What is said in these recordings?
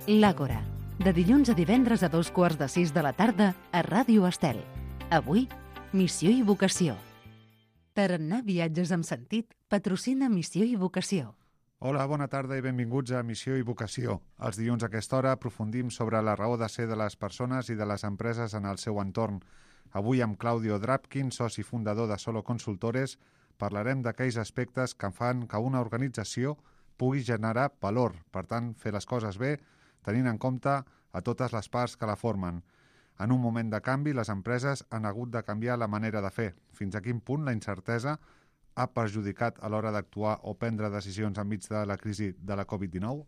L'Àgora, de dilluns a divendres a 14:15 de la tarda a Ràdio Estel. Avui, Missió i Vocació. Tarannà Viatges amb Sentit patrocina Missió i Vocació. Hola, bona tarda i benvinguts a Missió i Vocació. Els dilluns a aquesta hora aprofundim sobre la raó de ser de les persones i de les empreses en el seu entorn. Avui amb Claudio Drapkin, soci fundador de Solo Consultores, parlarem d'aquells aspectes que fan que una organització pugui generar valor, per tant, fer les coses bé, tenint en compte a totes les parts que la formen. En un moment de canvi, les empreses han hagut de canviar la manera de fer. Fins a quin punt la incertesa ha perjudicat a l'hora d'actuar o prendre decisions enmig de la crisi de la Covid-19?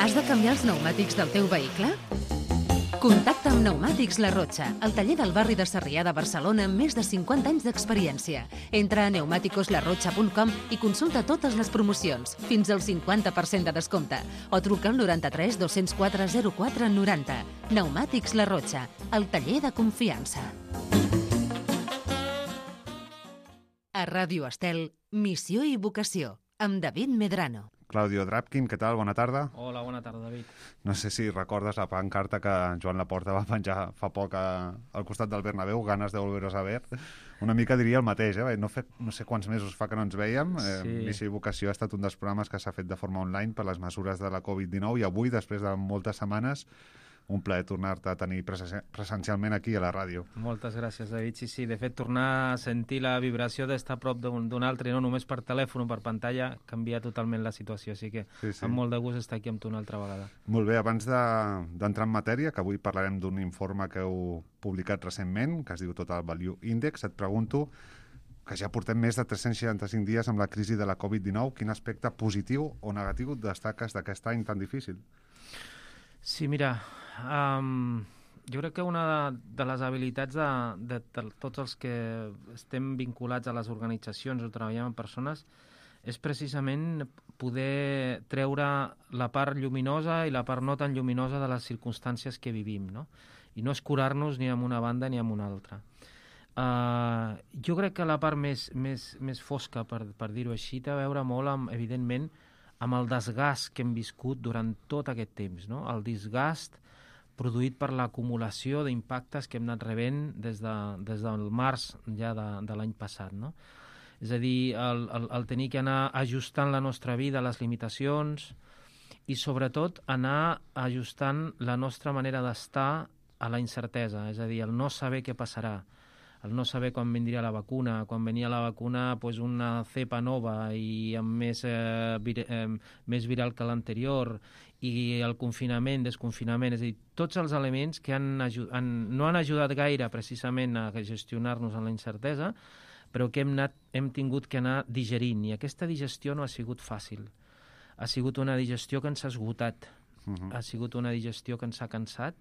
Has de canviar els pneumàtics del teu vehicle? Contacta amb Pneumàtics La Rotxa, el taller del barri de Sarrià de Barcelona amb més de 50 anys d'experiència. Entra a pneumaticoslarrotxa.com i consulta totes les promocions, fins al 50% de descompte, o truca al 93 204 04 90. Pneumàtics La Rotxa, el taller de confiança. A Ràdio Estel, Missió i Vocació, amb David Medrano. Claudio Drapkin, què tal? Bona tarda. Hola, bona tarda, David. No sé si recordes la pancarta que Joan Laporta va penjar fa poc al costat del Bernabéu, ganes de volveros a ver. Una mica diria el mateix, no sé quants mesos fa que no ens veiem. Sí. Missió i Vocació ha estat un dels programes que s'ha fet de forma online per les mesures de la Covid-19 i avui, després de moltes setmanes, un plaer tornar-te a tenir presencialment aquí a la ràdio. Moltes gràcies, David. Sí, de fet, tornar a sentir la vibració d'estar a prop d'un altre, no només per telèfon o per pantalla, canvia totalment la situació, així que sí. Amb molt de gust estar aquí amb tu una altra vegada. Molt bé, abans d'entrar en matèria, que avui parlarem d'un informe que heu publicat recentment, que es diu Total Value Index, et pregunto que ja portem més de 365 dies amb la crisi de la Covid-19, quin aspecte positiu o negatiu destaques d'aquest any tan difícil? Sí, mira, jo crec que una de les habilitats de tots els que estem vinculats a les organitzacions o treballem amb persones és precisament poder treure la part lluminosa i la part no tan lluminosa de les circumstàncies que vivim, no? I no escurar-nos ni amb una banda ni amb una altra. Jo crec que la part més fosca, per dir-ho així, té a veure molt, evidentment, amb el desgast que hem viscut durant tot aquest temps, no? El desgast produït per l'acumulació d'impactes que hem anat rebent des del març ja de l'any passat, no? És a dir, el tenir que anar ajustant la nostra vida a les limitacions i, sobretot, anar ajustant la nostra manera d'estar a la incertesa, és a dir, el no saber què passarà, el no saber quan vindria la vacuna, quan venia la vacuna una cepa nova i amb més viral que l'anterior, i el confinament, desconfinament, és a dir, tots els elements que no han ajudat gaire precisament a gestionar-nos en la incertesa, però que hem tingut que anar digerint, i aquesta digestió no ha sigut fàcil. Ha sigut una digestió que ens ha esgotat, ha sigut una digestió que ens ha cansat,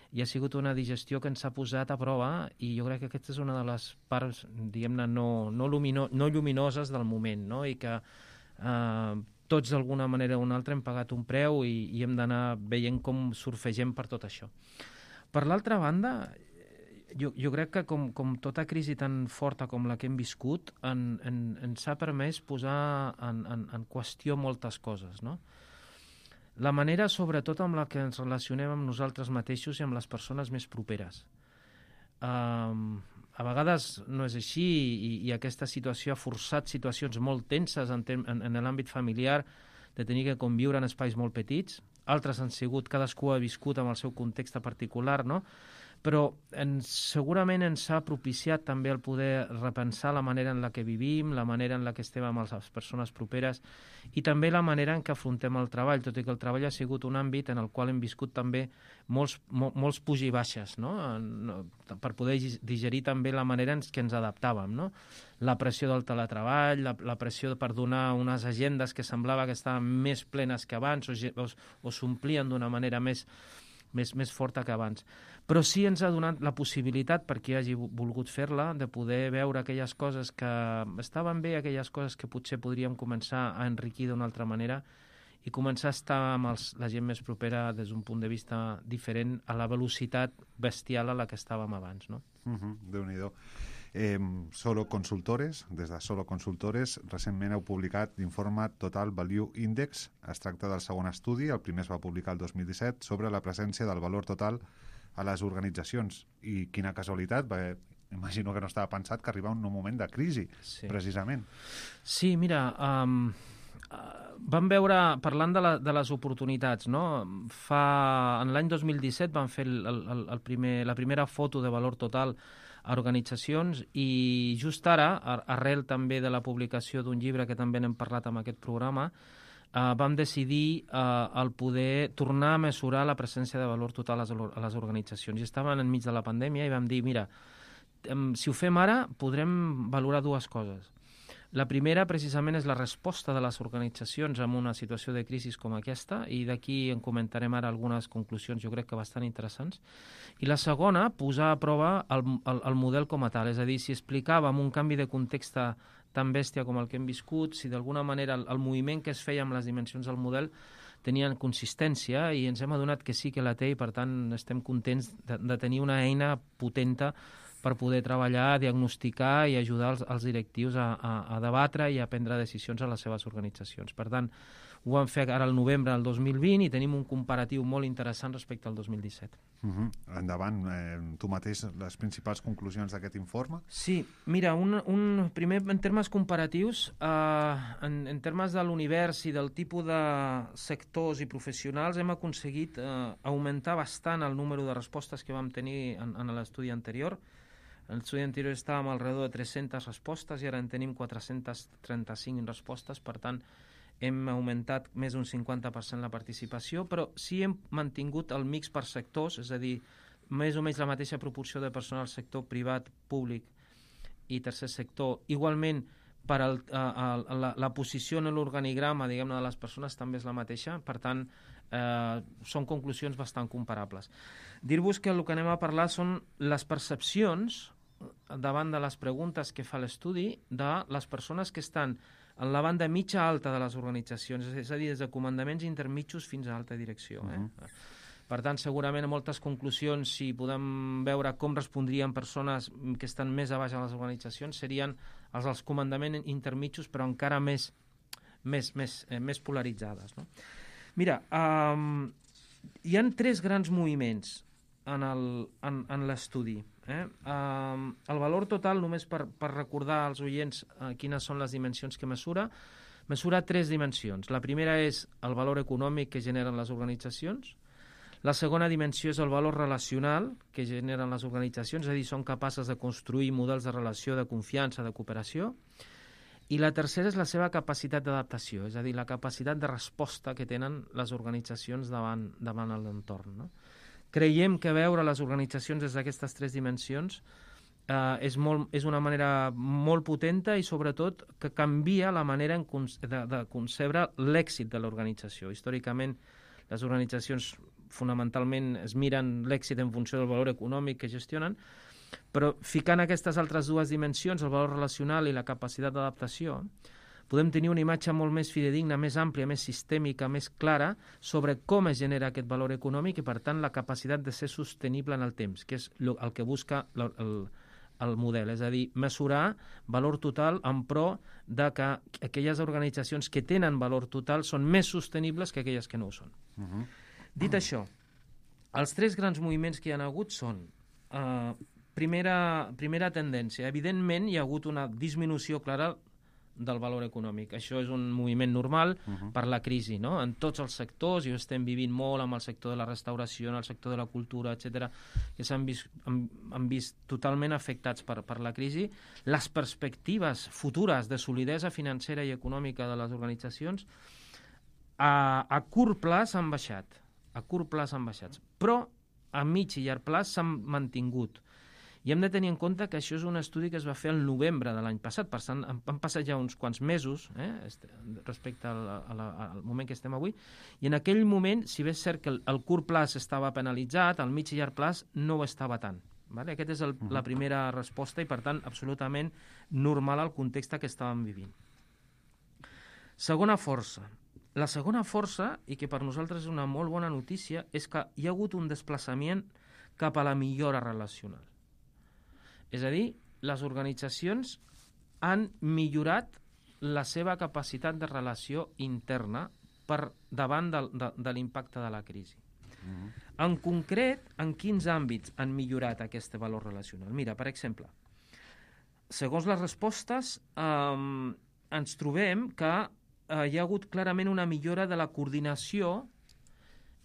i ha sigut una digestió que ens ha posat a prova, i jo crec que aquesta és una de les parts, diguem-ne, no lluminoses del moment, no? I que tots d'alguna manera o una altra hem pagat un preu i hem d'anar veient com surfegem per tot això. Per l'altra banda, jo crec que com tota crisi tan forta com la que hem viscut ens ha permès posar en qüestió moltes coses, no? La manera, sobretot, amb la que ens relacionem amb nosaltres mateixos i amb les persones més properes. A vegades no és així i aquesta situació ha forçat situacions molt tenses en l'àmbit familiar, de tenir que conviure en espais molt petits. Altres han sigut, cadascú ha viscut amb el seu context particular, no? Però segurament ens ha propiciat també el poder repensar la manera en la que vivim, la manera en la que estem amb les persones properes i també la manera en què afrontem el treball, tot i que el treball ha sigut un àmbit en el qual hem viscut també molts puig i baixes, no? Per poder digerir també la manera en què ens adaptàvem, no? La pressió del teletreball, la pressió per donar unes agendes que semblava que estaven més plenes que abans o s'omplien d'una manera més forta que abans. Però sí ens ha donat la possibilitat, per qui hagi volgut fer-la, de poder veure aquelles coses que estaven bé, aquelles coses que potser podríem començar a enriquir d'una altra manera i començar a estar amb la gent més propera des d'un punt de vista diferent a la velocitat bestial a la que estàvem abans, no? Déu-n'hi-do. Solo Consultores, des de Solo Consultores, recentment heu publicat l'informe Total Value Index. Es tracta del segon estudi, el primer es va publicar el 2017, sobre la presència del valor total a les organitzacions. I quina casualitat, perquè imagino que no estava pensat que arriba un moment de crisi, precisament. Sí, mira, vam veure, parlant de les oportunitats, no? En l'any 2017 vam fer la primera foto de valor total a organitzacions i just ara, arrel també de la publicació d'un llibre que també n'hem parlat amb aquest programa, vam decidir el poder tornar a mesurar la presència de valor total a les organitzacions. I estàvem enmig de la pandèmia i vam dir, mira, si ho fem ara podrem valorar dues coses. La primera, precisament, és la resposta de les organitzacions en una situació de crisi com aquesta, i d'aquí en comentarem ara algunes conclusions, jo crec que bastant interessants. I la segona, posar a prova el model com a tal, és a dir, si explicàvem un canvi de context tan bèstia com el que hem viscut, si d'alguna manera el moviment que es feia amb les dimensions del model tenien consistència, i ens hem adonat que sí que la té, i per tant estem contents de tenir una eina potenta per poder treballar, diagnosticar i ajudar els directius a debatre i a prendre decisions a les seves organitzacions. Per tant, ho vam fer ara al novembre del 2020 i tenim un comparatiu molt interessant respecte al 2017. Endavant, tu mateix, les principals conclusions d'aquest informe? Sí, mira, primer en termes comparatius, en termes de l'univers i del tipus de sectors i professionals, hem aconseguit augmentar bastant el número de respostes que vam tenir en l'estudi anterior. En l'estudi anterior estàvem alrededor de 300 respostes i ara en tenim 435 respostes, per tant hem augmentat més d'un 50% la participació, però sí hem mantingut el mix per sectors, és a dir, més o menys la mateixa proporció de personal al sector privat, públic i tercer sector. Igualment, per la posició en l'organigrama, diguem-ne, de les persones també és la mateixa, per tant, són conclusions bastant comparables. Dir-vos que el que anem a parlar són les percepcions davant de les preguntes que fa l'estudi de les persones que estan en la banda mitja alta de les organitzacions, és a dir, des de comandaments intermitjos fins a alta direcció. Per tant, segurament a moltes conclusions, si podem veure com respondrien persones que estan més a baix a les organitzacions, serien els dels comandaments intermitjos, però encara més polaritzades. No? Mira, hi ha 3 grans moviments en l'estudi. El valor total, només per recordar als oients quines són les dimensions que mesura 3 dimensions. La primera és el valor econòmic que generen les organitzacions. La segona dimensió és el valor relacional que generen les organitzacions, és a dir, són capaces de construir models de relació, de confiança, de cooperació. I la tercera és la seva capacitat d'adaptació, és a dir, la capacitat de resposta que tenen les organitzacions davant l'entorn. No? Creiem que veure les organitzacions des d'aquestes 3 dimensions és una manera molt potenta i sobretot que canvia la manera de concebre l'èxit de l'organització. Històricament, les organitzacions fonamentalment es miren l'èxit en funció del valor econòmic que gestionen, però ficant aquestes altres 2 dimensions, el valor relacional i la capacitat d'adaptació, podem tenir una imatge molt més fidedigna, més àmplia, més sistèmica, més clara sobre com es genera aquest valor econòmic i, per tant, la capacitat de ser sostenible en el temps, que és el que busca el model, és a dir, mesurar valor total en pro de que aquelles organitzacions que tenen valor total són més sostenibles que aquelles que no ho són. Dit això, els 3 grans moviments que hi ha hagut són primera tendència. Evidentment, hi ha hagut una disminució clara del valor econòmic. Això és un moviment normal per la crisi, no? En tots els sectors, i ho estem vivint molt amb el sector de la restauració, en el sector de la cultura, etc., que s'han vist totalment afectats per la crisi. Les perspectives futures de solidesa financera i econòmica de les organitzacions a curt plaç han baixat. Però a mig i llarg plaç s'han mantingut. I hem de tenir en compte que això és un estudi que es va fer el novembre de l'any passat, per tant, han passat ja uns quants mesos respecte al moment que estem avui, i en aquell moment, si bé és cert que el curt plaç estava penalitzat, el mig i llarg plaç no ho estava tant. Vale? Aquesta és la primera resposta i, per tant, absolutament normal al context que estàvem vivint. Segona força. La segona força, i que per nosaltres és una molt bona notícia, és que hi ha hagut un desplaçament cap a la millora relacional. És a dir, les organitzacions han millorat la seva capacitat de relació interna per davant de l'impacte de la crisi. En concret, en quins àmbits han millorat aquest valor relacional? Mira, per exemple, segons les respostes, ens trobem que hi ha hagut clarament una millora de la coordinació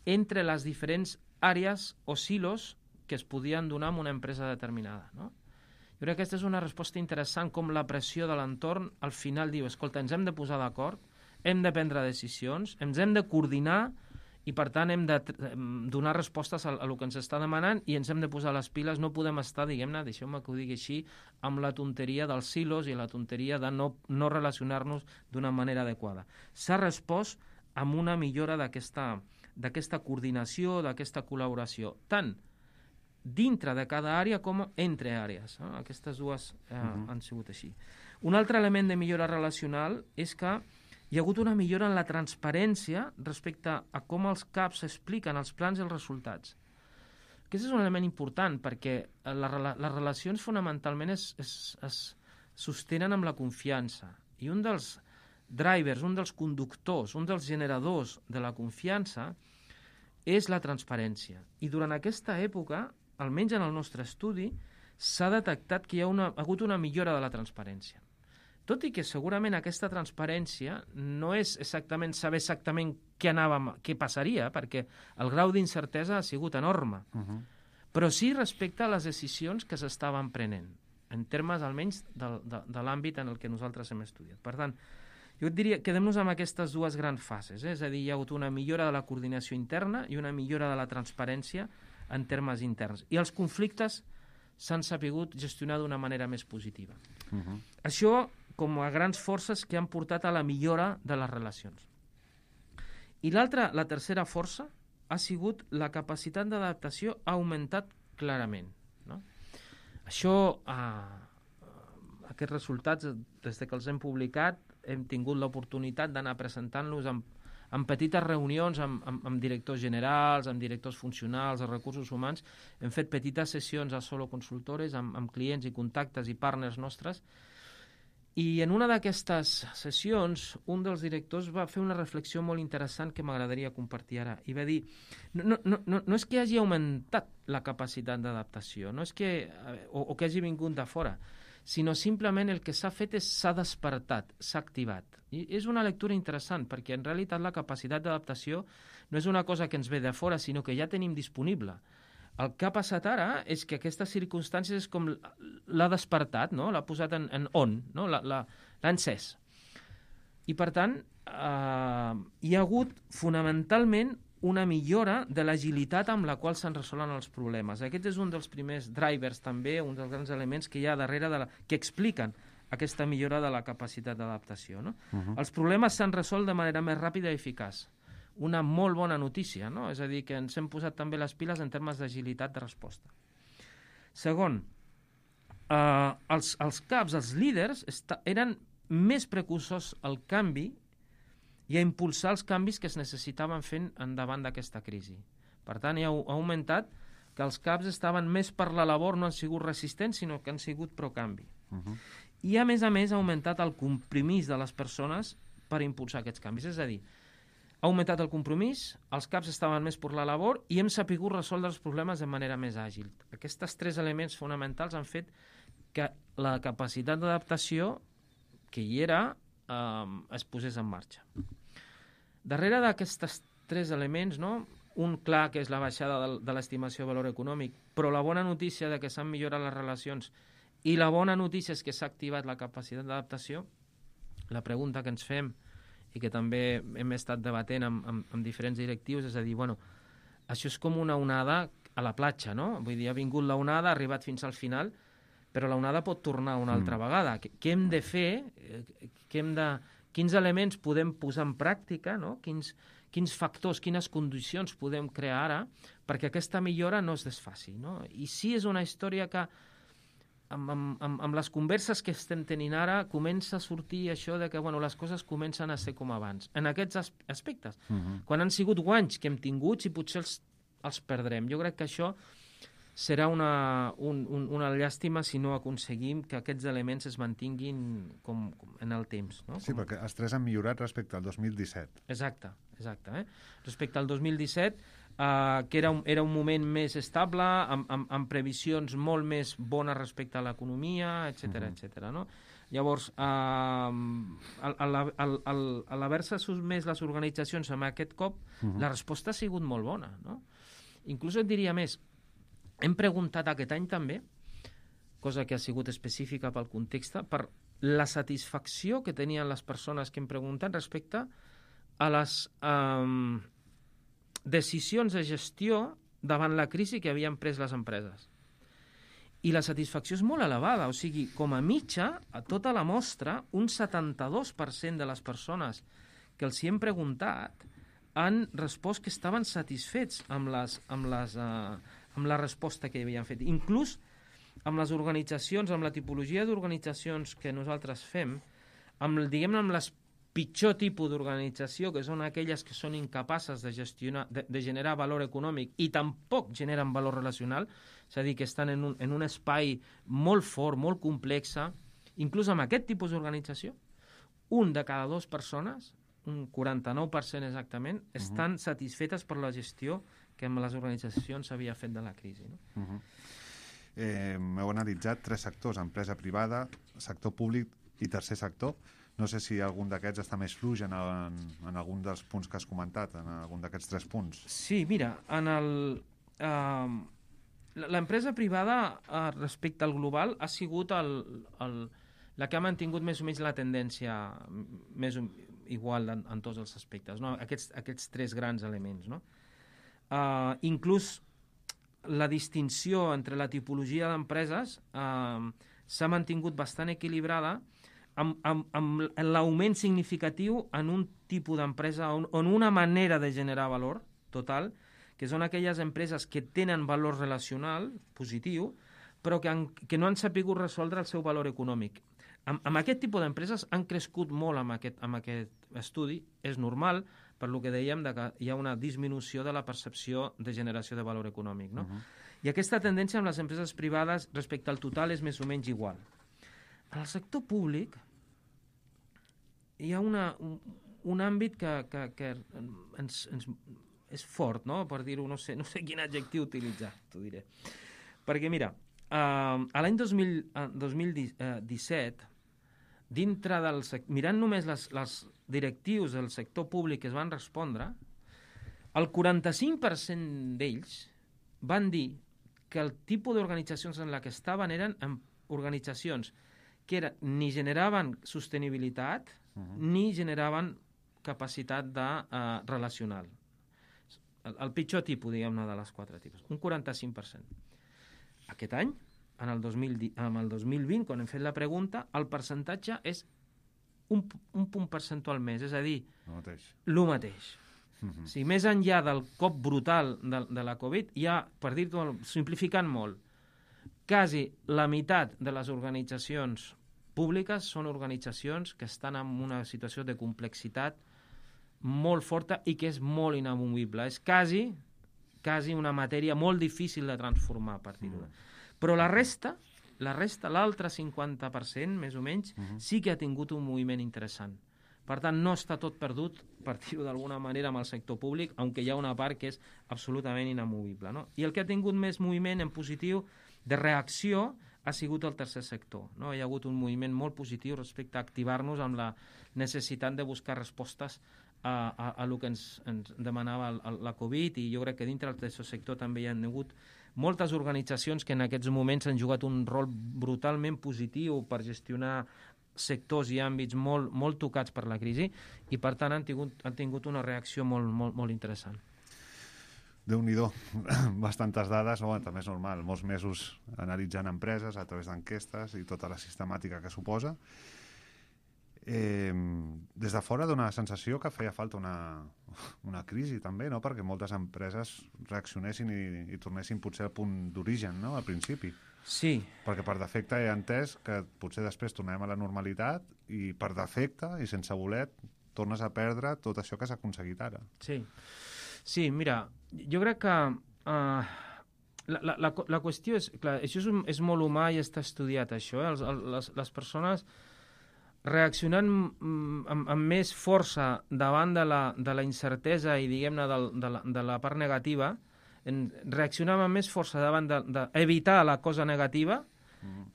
entre les diferents àrees o silos que es podien donar en una empresa determinada, no? Jo crec que aquesta és una resposta interessant, com la pressió de l'entorn al final diu, escolta, ens hem de posar d'acord, hem de prendre decisions, ens hem de coordinar i, per tant, hem de donar respostes a el que ens està demanant i ens hem de posar les piles. No podem estar, diguem-ne, deixeu-me que ho digui així, amb la tonteria dels silos i la tonteria de no relacionar-nos d'una manera adequada. S'ha respost amb una millora d'aquesta coordinació, d'aquesta col·laboració, tant dintre de cada àrea com entre àrees. Aquestes dues han sigut així. Un altre element de millora relacional és que hi ha hagut una millora en la transparència respecte a com els CAPs expliquen els plans i els resultats. Aquest és un element important perquè les relacions fonamentalment es sostenen amb la confiança. I un dels drivers, un dels conductors, un dels generadors de la confiança és la transparència. I durant aquesta època, almenys en el nostre estudi, s'ha detectat que hi ha hagut una millora de la transparència. Tot i que segurament aquesta transparència no és exactament saber exactament què passaria, perquè el grau d'incertesa ha sigut enorme, però sí respecte a les decisions que s'estaven prenent, en termes almenys de l'àmbit en el que nosaltres hem estudiat. Per tant, jo et diria, quedem-nos amb aquestes dues grans fases, és a dir, hi ha hagut una millora de la coordinació interna i una millora de la transparència en termes interns. I els conflictes s'han sapigut gestionar d'una manera més positiva. Això com a grans forces que han portat a la millora de les relacions. I la tercera força ha sigut la capacitat d'adaptació ha augmentat clarament, no? Això, aquests resultats, des que els hem publicat, hem tingut l'oportunitat d'anar presentant-los en petites reunions amb directors generals, amb directors funcionals, de recursos humans. Hem fet petites sessions a Solo Consultores amb clients i contactes i partners nostres. I en una d'aquestes sessions, un dels directors va fer una reflexió molt interessant que m'agradaria compartir ara. I va dir, no és que hagi augmentat la capacitat d'adaptació, no és que, o que hagi vingut de fora, sinó simplement el que s'ha fet és s'ha despertat, s'ha activat. I és una lectura interessant, perquè en realitat la capacitat d'adaptació no és una cosa que ens ve de fora, sinó que ja tenim disponible. El que ha passat ara és que aquestes circumstàncies és com l'ha despertat, no? L'ha posat en on, no? L'ha encès. I per tant, hi ha hagut fonamentalment una millora de l'agilitat amb la qual se'n resolen els problemes. Aquest és un dels primers drivers també, un dels grans elements que hi ha darrere que expliquen aquesta millora de la capacitat d'adaptació, no? Els problemes s'han resolt de manera més ràpida i eficaç. Una molt bona notícia, no? És a dir, que ens hem posat també les piles en termes d'agilitat de resposta. Segon, els caps, els líders, eren més precursors al canvi i a impulsar els canvis que es necessitaven fent endavant d'aquesta crisi. Per tant, ha augmentat que els caps estaven més per la labor, no han sigut resistents, sinó que han sigut pro-canvi. I, a més, ha augmentat el compromís de les persones per impulsar aquests canvis. És a dir, ha augmentat el compromís, els caps estaven més per la labor i hem sapigut resoldre els problemes de manera més àgil. Aquests tres elements fonamentals han fet que la capacitat d'adaptació que hi era es posés en marxa. Darrere d'aquests tres elements, no? Un clar que és la baixada de l'estimació de valor econòmic, però la bona notícia de que s'han millorat les relacions i la bona notícia és que s'ha activat la capacitat d'adaptació, la pregunta que ens fem i que també hem estat debatent amb diferents directius, és a dir, bueno, això és com una onada a la platja, no? Vull dir, ha vingut la onada, ha arribat fins al final, però la onada pot tornar una altra vegada. Què hem de fer? Quins elements podem posar en pràctica, no? Quins factors, quines condicions podem crear ara perquè aquesta millora no es desfaci, no? I sí és una història que amb les converses que estem tenint ara comença a sortir això de que les coses comencen a ser com abans, en aquests aspectes. Quan han sigut guanys que hem tingut i potser els perdrem. Jo crec que això serà una llàstima si no aconseguim que aquests elements es mantinguin com en el temps. No? Sí, perquè els tres han millorat respecte al 2017. Exacte. Respecte al 2017, que era un moment més estable, amb previsions molt més bones respecte a l'economia, etc. No? Llavors, a l'haver-se sotmès les organitzacions amb aquest cop, la resposta ha sigut molt bona. No? Inclús et diria més, hem preguntat aquest any també, cosa que ha sigut específica pel context, per la satisfacció que tenien les persones que hem preguntat respecte a les decisions de gestió davant la crisi que havien pres les empreses. I la satisfacció és molt elevada, o sigui, com a mitja, a tota la mostra, un 72% de les persones que els hi hem preguntat han respost que estaven satisfets amb la resposta que havien fet. Inclús amb les organitzacions, amb la tipologia d'organitzacions que nosaltres fem, amb les pitjor tipus d'organització, que són aquelles que són incapaces de gestionar, de generar valor econòmic i tampoc generen valor relacional, és a dir, que estan en un espai molt fort, molt complex, inclús amb aquest tipus d'organització, un de cada dues persones, un 49% exactament, estan satisfetes per la gestió que amb les organitzacions s'havia fet de la crisi. No? Heu analitzat 3 sectors, empresa privada, sector públic i tercer sector. No sé si algun d'aquests està més fluix en algun dels punts que has comentat, en algun d'aquests 3 punts. Sí, mira, l'empresa privada respecte al global ha sigut la que ha mantingut més o menys la tendència més igual en tots els aspectes, no? Aquests 3 grans elements. No? Inclús la distinció entre la tipologia d'empreses s'ha mantingut bastant equilibrada amb l'augment significatiu en un tipus d'empresa on una manera de generar valor total, que són aquelles empreses que tenen valor relacional positiu, però que no han sapigut resoldre el seu valor econòmic. Amb aquest tipus d'empreses han crescut molt amb aquest estudi. És normal, per lo que dèiem, que hi ha una disminució de la percepció de generació de valor econòmic. No? I aquesta tendència amb les empreses privades respecte al total és més o menys igual. En el sector públic hi ha un àmbit que és fort, no? Per dir-ho, no sé quin adjectiu utilitzar, t'ho diré. Perquè, mira, a l'any 2017, mirant només les directius del sector públic que es van respondre, el 45% d'ells van dir que el tipus d'organitzacions en la que estaven eren organitzacions que ni generaven sostenibilitat ni generaven capacitat relacional. El pitjor tipus, diguem-ne, de les 4 tipus. Un 45%. Aquest any, en el 2020, quan hem fet la pregunta, el percentatge és un punt percentual més, és a dir, el mateix. O sigui, més enllà del cop brutal de la Covid, hi ha, per dir-ho simplificant molt, quasi la meitat de les organitzacions públiques són organitzacions que estan en una situació de complexitat molt forta i que és molt inamovible. És quasi una matèria molt difícil de transformar, per dir-ho. Però la resta, l'altre 50%, més o menys, sí que ha tingut un moviment interessant. Per tant, no està tot perdut, per dir-ho d'alguna manera, amb el sector públic, aunque hi ha una part que és absolutament inamovible. No? I el que ha tingut més moviment en positiu de reacció ha sigut el tercer sector. No? Hi ha hagut un moviment molt positiu respecte a activar-nos amb la necessitat de buscar respostes a lo que ens demanava la Covid, i jo crec que dintre del tercer sector també hi ha hagut moltes organitzacions que en aquests moments han jugat un rol brutalment positiu per gestionar sectors i àmbits molt tocats per la crisi, i per tant han tingut una reacció molt interessant. Déu-n'hi-do, bastantes dades, també és normal, molts mesos analitzant empreses a través d'enquestes i tota la sistemàtica que suposa. Des de fora dona la sensació que feia falta una crisi també, no? Perquè moltes empreses reaccionessin i tornessin potser al punt d'origen, no? Al principi. Sí. Perquè per defecte he entès que potser després tornem a la normalitat i per defecte i sense voler tornes a perdre tot això que s'ha aconseguit ara. Sí, mira, jo crec que La qüestió és, clar, això és molt humà i està estudiat, això. Les persones reaccionant amb més força davant de la incertesa i, diguem-ne, de la part negativa, reaccionem amb més força davant d'evitar la cosa negativa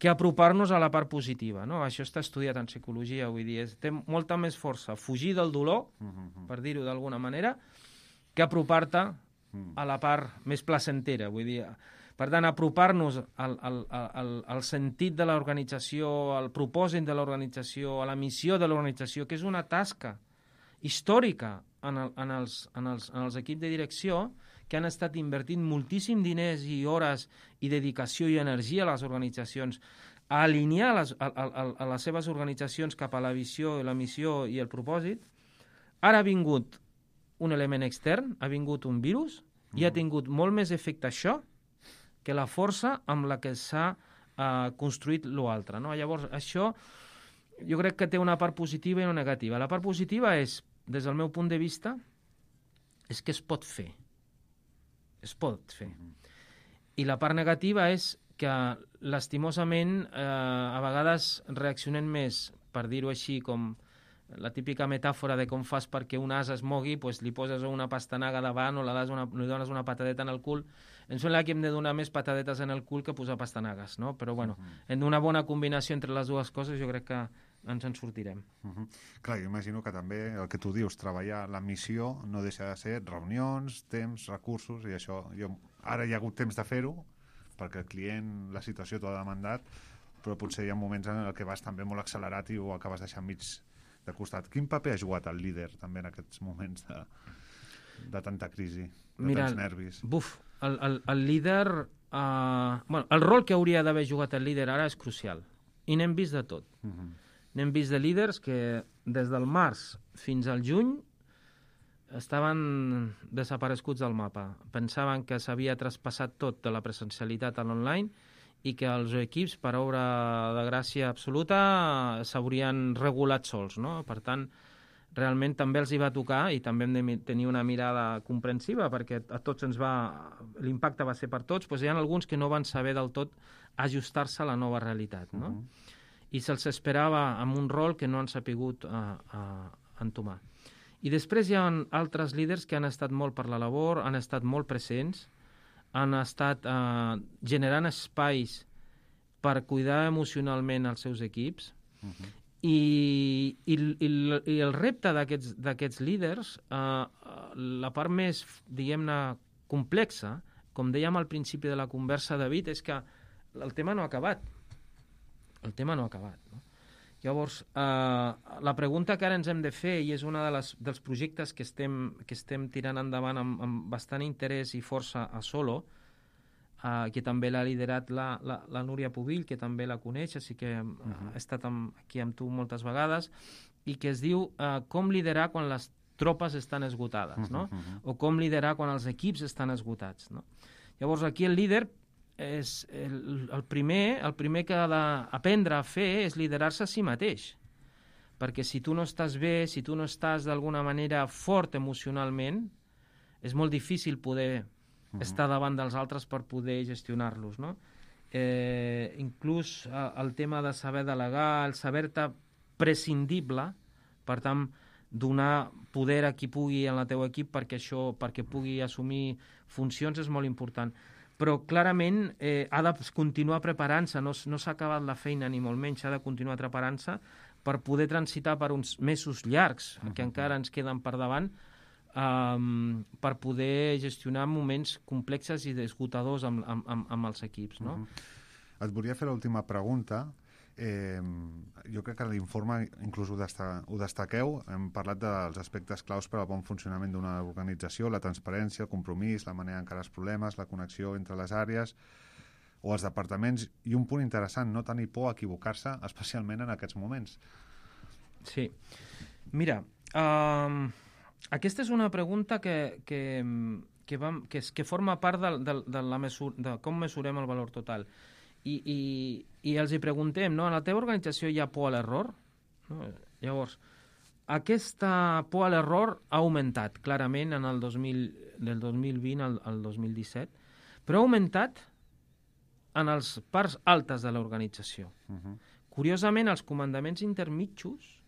que apropar-nos a la part positiva, no? Això està estudiat en psicologia, vull dir, té molta més força fugir del dolor, per dir-ho d'alguna manera, que apropar-te a la part més placentera, vull dir. Per tant, apropar-nos al sentit de l'organització, al propòsit de l'organització, a la missió de l'organització, que és una tasca històrica en els equips de direcció, que han estat invertint moltíssim diners i hores i dedicació i energia a les organitzacions, a alinear a les seves organitzacions cap a la visió, la missió i el propòsit. Ara ha vingut un element extern, ha vingut un virus, i ha tingut molt més efecte això que la força amb la que s'ha construït l'altre, no? Llavors, això jo crec que té una part positiva i una negativa. La part positiva és, des del meu punt de vista, és que es pot fer. Es pot fer. I la part negativa és que, lastimosament, a vegades reaccionem més, per dir-ho així, com la típica metàfora de com fas perquè un ase es mogui, doncs li poses una pastanaga davant o li dones una patadeta en el cul. Em sembla que hem de donar més patadetes en el cul que posar pastanagues, no? Però, bueno, en una bona combinació entre les dues coses jo crec que ens en sortirem. Clar, jo imagino que també el que tu dius, treballar la missió no deixa de ser reunions, temps, recursos, i això, ara hi ha hagut temps de fer-ho, perquè el client, la situació t'ho ha demandat, però potser hi ha moments en què vas també molt accelerat i ho acabes deixant mig de costat. Quin paper ha jugat el líder també en aquests moments de tanta crisi, tants nervis? El líder... el rol que hauria d'haver jugat el líder ara és crucial, i n'hem vist de tot. N'hem vist de líders que des del març fins al juny estaven desapareguts del mapa. Pensaven que s'havia traspassat tot de la presencialitat a l'online i que els equips, per obra de gràcia absoluta, s'haurien regulat sols, no? Per tant, realment també els hi va tocar i també hem de tenir una mirada comprensiva perquè a tots l'impacte va ser per tots, doncs hi ha alguns que no van saber del tot ajustar-se a la nova realitat, no? I se'ls esperava amb un rol que no han sapigut entomar. I després hi ha altres líders que han estat molt per la labor, han estat molt presents, han estat generant espais per cuidar emocionalment els seus equips, i el repte d'aquests líders, la part més, diguem-ne, complexa, com dèiem al principi de la conversa, David, és que el tema no ha acabat. El tema no ha acabat, no? Llavors, la pregunta que ara ens hem de fer, i és una dels projectes que estem tirant endavant amb bastant interès i força a Solo, que també l'ha liderat la Núria Pubill, que també la coneix, així que ha estat aquí amb tu moltes vegades, i que es diu com liderar quan les tropes estan esgotades, no? O com liderar quan els equips estan esgotats, no? Llavors, aquí el líder és el primer que ha d'aprendre a fer és liderar-se a si mateix, perquè si tu no estàs bé, si tu no estàs d'alguna manera fort emocionalment, és molt difícil poder estar davant dels altres per poder gestionar-los, no? Inclús el tema de saber delegar, el saber-te prescindible, per tant, donar poder a qui pugui en el teu equip perquè pugui assumir funcions és molt important. Però clarament ha de continuar preparant-se, no s'ha acabat la feina ni molt menys, ha de continuar preparant-se per poder transitar per uns mesos llargs, que encara ens queden per davant, per poder gestionar moments complexes i esgotadors amb els equips, no? Et volia fer l'última pregunta. Jo crec que a l'informe inclús ho destaqueu. Hem parlat dels aspectes claus per al bon funcionament d'una organització, la transparència, el compromís, la manera d'encarar els problemes, la connexió entre les àrees o els departaments, i un punt interessant, no tenir por a equivocar-se, especialment en aquests moments. Sí. Mira, aquesta és una pregunta que forma part de com mesurem el valor total. I els hi preguntem, no? En la teva organització hi ha por a l'error? No? Llavors, aquesta por a l'error ha augmentat clarament del 2020 al 2017, però ha augmentat en les parts altes de l'organització. Curiosament, els comandaments intermitjos,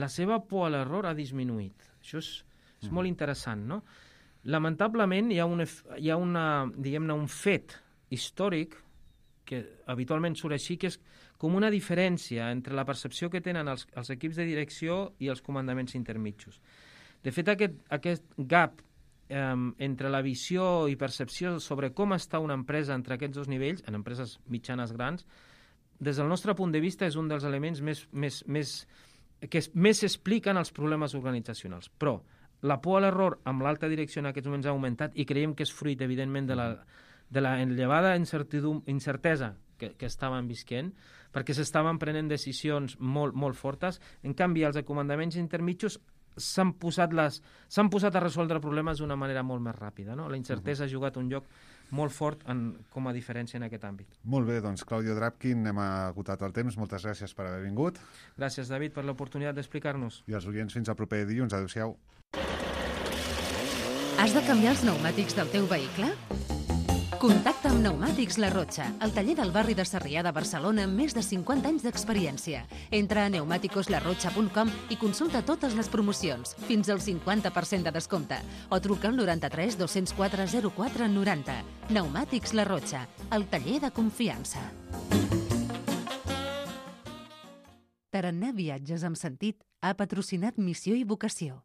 la seva por a l'error ha disminuït. Això és molt interessant, no? Lamentablement, hi ha un fet històric que habitualment surt així, que és com una diferència entre la percepció que tenen els equips de direcció i els comandaments intermitjos. De fet, aquest gap entre la visió i percepció sobre com està una empresa entre aquests dos nivells, en empreses mitjanes grans, des del nostre punt de vista és un dels elements que més expliquen els problemes organitzacionals. Però la por a l'error amb l'alta direcció en aquests moments ha augmentat i creiem que és fruit, evidentment, de la elevada incertesa que estaven visquent, perquè s'estaven prenent decisions molt, molt fortes. En canvi, els comandaments intermitjos s'han posat a resoldre problemes d'una manera molt més ràpida. No? La incertesa ha jugat un lloc molt fort com a diferència en aquest àmbit. Molt bé, doncs, Claudio Drapkin, hem agotat el temps. Moltes gràcies per haver vingut. Gràcies, David, per l'oportunitat d'explicar-nos. I als oients, fins al proper dilluns. Adéu-siau. Has de canviar els pneumàtics del teu vehicle? Contacta amb Pneumàtics La Rotxa, el taller del barri de Sarrià de Barcelona amb més de 50 anys d'experiència. Entra a pneumaticoslarrotxa.com i consulta totes les promocions, fins al 50% de descompte, o truca al 93 204 04 90. Pneumàtics La Rotxa, el taller de confiança. Tarannà Viatges amb Sentit ha patrocinat Missió i Vocació.